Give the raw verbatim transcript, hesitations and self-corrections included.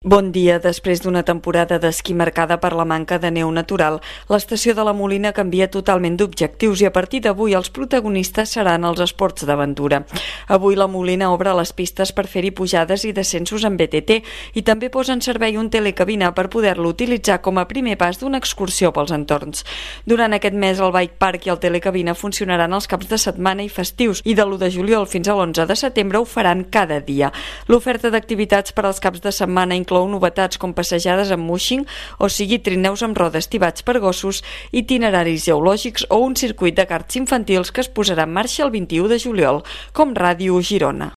Bon dia. Després d'una temporada d'esquí marcada per la manca de neu natural, l'estació de la Molina canvia totalment d'objectius i a partir d'avui els protagonistes seran els esports d'aventura. Avui la Molina obre les pistes per fer-hi pujades i descensos en B T T i també posa en servei un telecabina per poder-lo utilitzar com a primer pas d'una excursió pels entorns. Durant aquest mes el Bike Park i el telecabina funcionaran els caps de setmana i festius i de l'u de juliol fins a l'onze de setembre ho faran cada dia. L'oferta d'activitats per als caps de setmana inclou novetats com passejades amb mushing, o sigui trineus amb rodes tibats per gossos, itineraris geològics o un circuit de karts infantils que es posarà en marxa el vint-i-u de juliol, com Ràdio Girona.